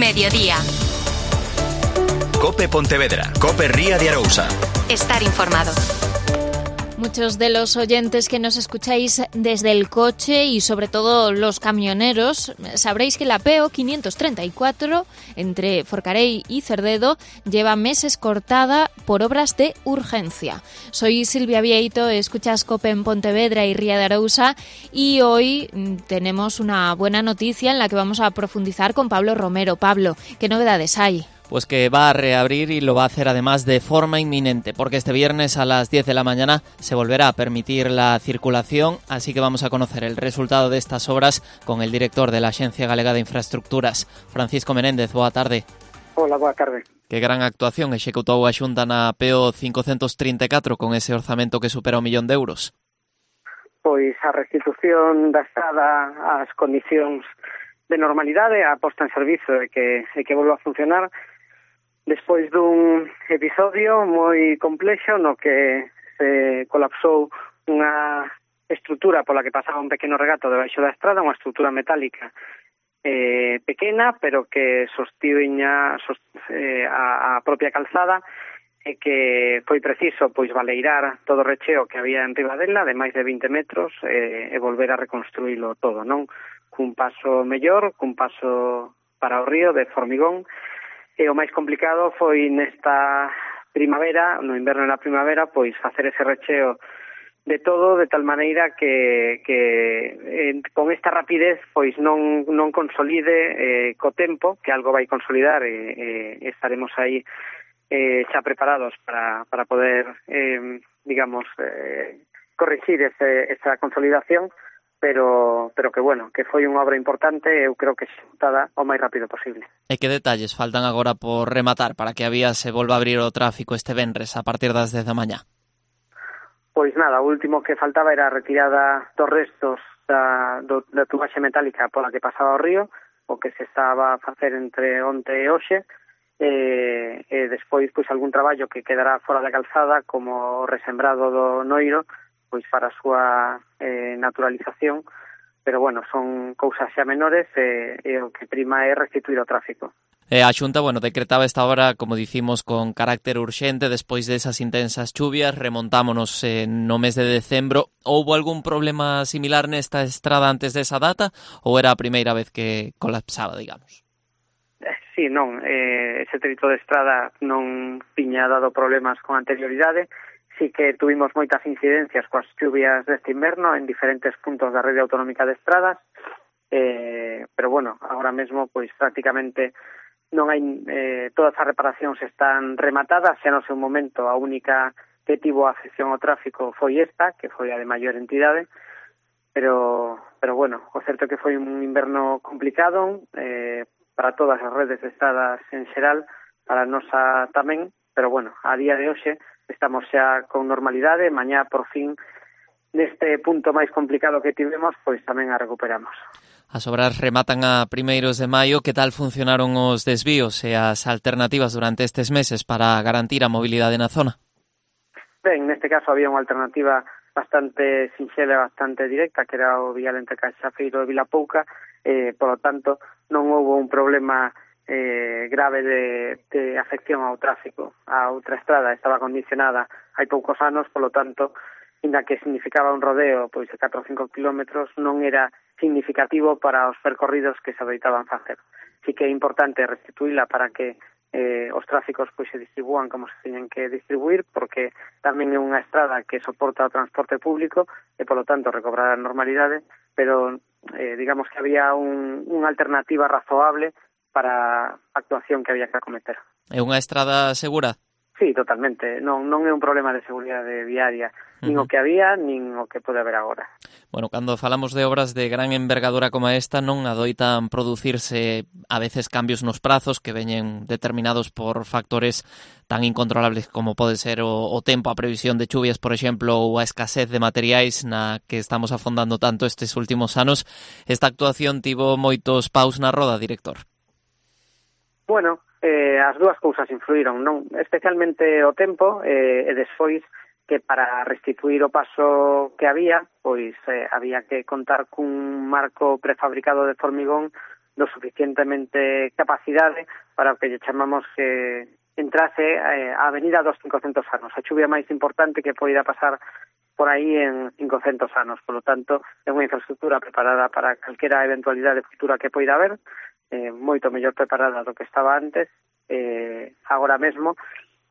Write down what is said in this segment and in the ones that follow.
Mediodía. Cope Pontevedra, Cope Ría de Arousa. Estar informado. Muchos de los oyentes que nos escucháis desde el coche y sobre todo los camioneros sabréis que la PO 534 entre Forcarei y Cerdedo lleva meses cortada por obras de urgencia. Soy Silvia Vieito, escuchas Cope en Pontevedra y Ría de Arousa y hoy tenemos una buena noticia en la que vamos a profundizar con Pablo Romero. Pablo, ¿qué novedades hay? Pues que va a reabrir y lo va a hacer además de forma inminente, porque este viernes a las 10 de la mañana se volverá a permitir la circulación, así que vamos a conocer el resultado de estas obras con el director de la Axencia Galega de Infraestructuras, Francisco Menéndez. Boa tarde. Hola, boa tarde. Que gran actuación executou a Xunta na PO 534 con ese orzamento que supera €1 millón. Pois a restitución da estrada ás condicións de normalidade, a posta en servizo e que volva a funcionar despois dun episodio moi complexo no que se colapsou unha estrutura pola que pasaba un pequeno regato debaixo da estrada, unha estrutura metálica pequena, pero que sostiña a propia calzada e que foi preciso pois baleirar todo o recheo que había en riba dela de máis de 20 metros e volver a reconstruílo todo, non? Cun paso mellor, cun paso para o río de formigón. E o máis complicado foi nesta primavera, no inverno e na primavera, pois facer ese recheo de todo de tal maneira que con esta rapidez pois non consolide co tempo, que algo vai consolidar e estaremos aí xa preparados para poder, corrixir esa consolidación, pero que bueno, que foi unha obra importante e eu creo que executada o máis rápido posible. E que detalles faltan agora por rematar para que a vía se volva a abrir o tráfico este venres a partir das 10 da mañá? Pois nada, o último que faltaba era a retirada dos restos da tubaxe metálica pola que pasaba o río, o que se estaba a facer entre onte e hoxe, e despois pois algún traballo que quedará fora da calzada como o resembrado do noiro, pois para a súa naturalización, pero bueno, son cousas xa menores e o que prima é restituir o tráfico. A Xunta, decretaba esta obra, como dicimos, con carácter urxente despois desas intensas chuvias, remontámonos no mes de decembro. Houbo algún problema similar nesta estrada antes desa data ou era a primeira vez que colapsaba, digamos? Sí, non, ese trito de estrada non tiña dado problemas con anterioridade. Sí que tuvimos moitas incidencias coas chuvias deste inverno en diferentes puntos da rede autonómica de estradas, pero bueno, agora mesmo pois prácticamente non hai todas as reparacións están rematadas, xa no seu momento a única que tivo afección ao tráfico foi esta, que foi a de maior entidade, pero bueno, o certo é que foi un inverno complicado para todas as redes de estradas en xeral, para a nosa tamén, pero bueno, a día de hoxe estamos xa con normalidade, mañá por fin neste punto máis complicado que tivemos, pois tamén a recuperamos. As obras rematan a primeiros de maio. Que tal funcionaron os desvíos e as alternativas durante estes meses para garantir a mobilidade na zona? Ben, neste caso había unha alternativa bastante sinxela e bastante directa, que era o vial entre Caixafeiro e Vilapouca, polo tanto non houve un problema grave de afección ao tráfico. A outra estrada estaba condicionada hai poucos anos, polo tanto, inda que significaba un rodeo pois de 4 ou 5 kilómetros, non era significativo para os percorridos que se adoitaban facer. Sí que é importante restituíla para que os tráficos pois se distribúan como se teñen que distribuir, porque tamén é unha estrada que soporta o transporte público e, polo tanto, recobrar a normalidade, pero digamos que había unha alternativa razoable para a actuación que había que acometer. É unha estrada segura? Sí, totalmente. Non é un problema de seguridade viaria, nin o que había, nin o que pode haber agora. Bueno, cando falamos de obras de gran envergadura como esta, non adoitan producirse a veces cambios nos prazos que veñen determinados por factores tan incontrolables como pode ser o tempo, a previsión de chuvias, por exemplo, ou a escasez de materiais na que estamos afondando tanto estes últimos anos. Esta actuación tivo moitos paus na roda, director? Bueno, as dúas cousas influíron, non? Especialmente o tempo e despois que para restituir o paso que había, pois había que contar cun marco prefabricado de formigón do suficientemente capacidade para o que lle chamamos que entrase a avenida dos 500 anos, a chuvia máis importante que poida pasar por aí en 500 anos. Por lo tanto, é unha infraestructura preparada para calquera eventualidade futura que poida haber, moito mellor preparada do que estaba antes. Agora mesmo,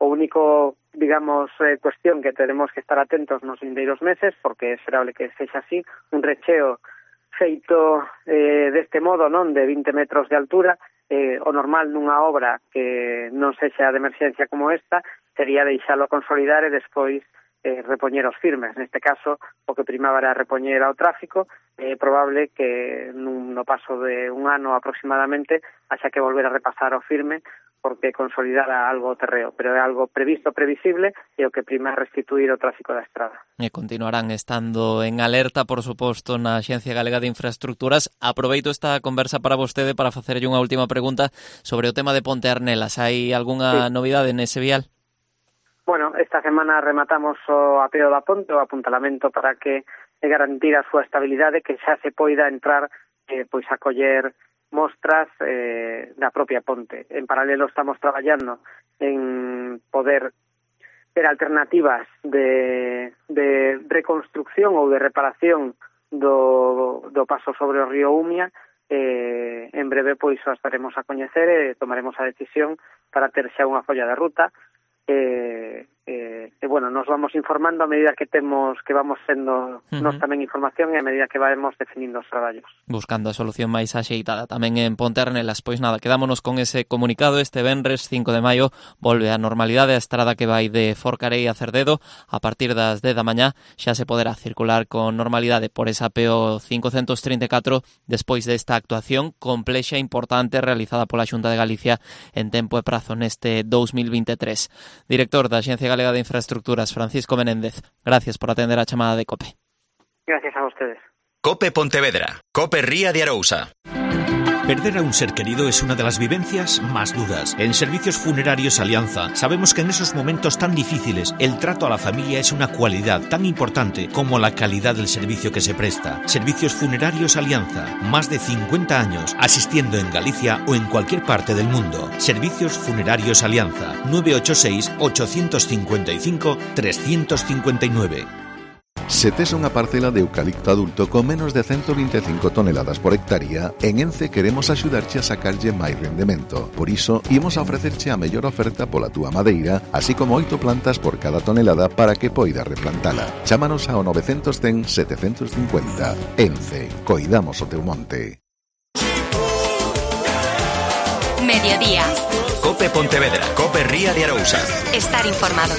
o único, digamos, cuestión que tenemos que estar atentos nos vindeiros meses, porque é esperable que sexa así, un recheo feito deste modo, non, de 20 metros de altura, o normal nunha obra que non sexa de emerxencia como esta sería deixalo consolidar e despois repoñer os firmes. Neste caso, o que primaba era repoñer ao tráfico. É probable que no paso de un ano aproximadamente haxa que volver a repasar o firme, porque consolidara algo o terreo, pero é algo previsto, previsible, e o que prima é restituir o tráfico da estrada. E continuarán estando en alerta, por suposto, na Axencia Galega de Infraestructuras. Aproveito esta conversa para vostede para facerlle unha última pregunta sobre o tema de Ponte Arnelas. Hai algunha novidade nese vial? Bueno, esta semana rematamos o apeo da ponte, o apuntalamento para que garantir a súa estabilidade, que xa se poida entrar pois a coller mostras da propia ponte. En paralelo estamos traballando en poder ter alternativas de reconstrucción ou de reparación do paso sobre o río Umia. En breve pois o estaremos a coñecer e tomaremos a decisión para ter xa unha folla de ruta. Bueno, nos vamos informando a medida que vamos sendo nos tamén información e a medida que vamos definindo os traballos. Buscando a solución máis axeitada tamén en Ponte Arnelas. Pois nada, quedámonos con ese comunicado. Este venres 5 de maio volve a normalidade a estrada que vai de Forcarei a Cerdedo. A partir das 10 da mañá xa se poderá circular con normalidade por esa PO 534 despois desta actuación complexa e importante realizada pola Xunta de Galicia en tempo e prazo neste 2023. Director da Axencia Galega de Infraestructuras, Francisco Menéndez, gracias por atender a chamada de COPE. Gracias a ustedes. COPE Pontevedra, COPE Ría de Arousa. Perder a un ser querido es una de las vivencias más duras. En Servicios Funerarios Alianza sabemos que en esos momentos tan difíciles el trato a la familia es una cualidad tan importante como la calidad del servicio que se presta. Servicios Funerarios Alianza, más de 50 años asistiendo en Galicia o en cualquier parte del mundo. Servicios Funerarios Alianza, 986-855-359. Se tes unha parcela de eucalipto adulto con menos de 125 toneladas por hectárea, en ENCE queremos axudarche a sacarlle máis rendemento. Por iso, imos a ofrecerche a mellor oferta pola túa madeira, así como 8 plantas por cada tonelada para que poidas replantala. Chámanos ao 910 750. ENCE, coidamos o teu monte. Mediodía. COPE Pontevedra, COPE Ría de Arousa. Estar informado.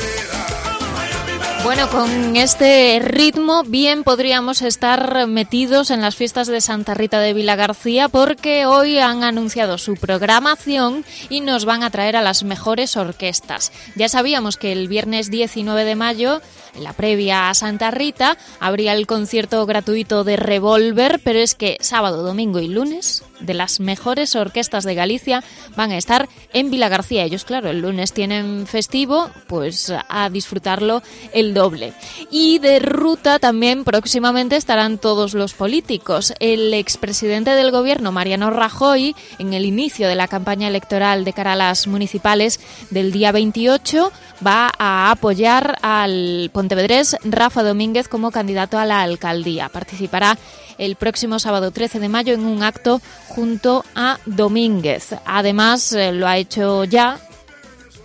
Bueno, con este ritmo bien podríamos estar metidos en las fiestas de Santa Rita de Vilagarcía, porque hoy han anunciado su programación y nos van a traer a las mejores orquestas. Ya sabíamos que el viernes 19 de mayo, en la previa a Santa Rita, habría el concierto gratuito de Revolver, pero es que sábado, domingo y lunes, de las mejores orquestas de Galicia van a estar en Vilagarcía. Ellos, claro, el lunes tienen festivo, pues a disfrutarlo el doble. Y de ruta también próximamente estarán todos los políticos. El expresidente del gobierno, Mariano Rajoy, en el inicio de la campaña electoral de cara a las municipales del día 28, va a apoyar al pontevedrés Rafa Domínguez como candidato a la alcaldía. Participará el próximo sábado 13 de mayo en un acto junto a Domínguez. Además, lo ha hecho ya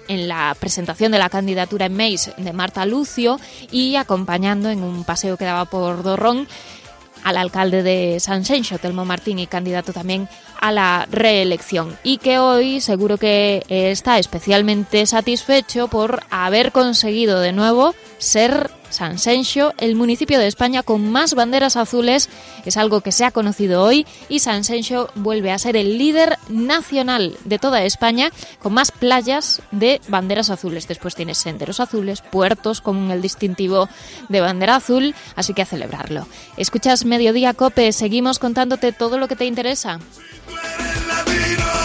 en la presentación de la candidatura en Meis de Marta Lucio y acompañando en un paseo que daba por Dorrón al alcalde de Sanxenxo, Telmo Martín, candidato también a la reelección, y que hoy seguro que está especialmente satisfecho por haber conseguido de nuevo ser Sanxenxo el municipio de España con más banderas azules. Es algo que se ha conocido hoy y Sanxenxo vuelve a ser el líder nacional de toda España con más playas de banderas azules. Después tienes senderos azules, puertos con el distintivo de bandera azul, así que a celebrarlo. Escuchas Mediodía COPE, seguimos contándote todo lo que te interesa. Tú eres latino.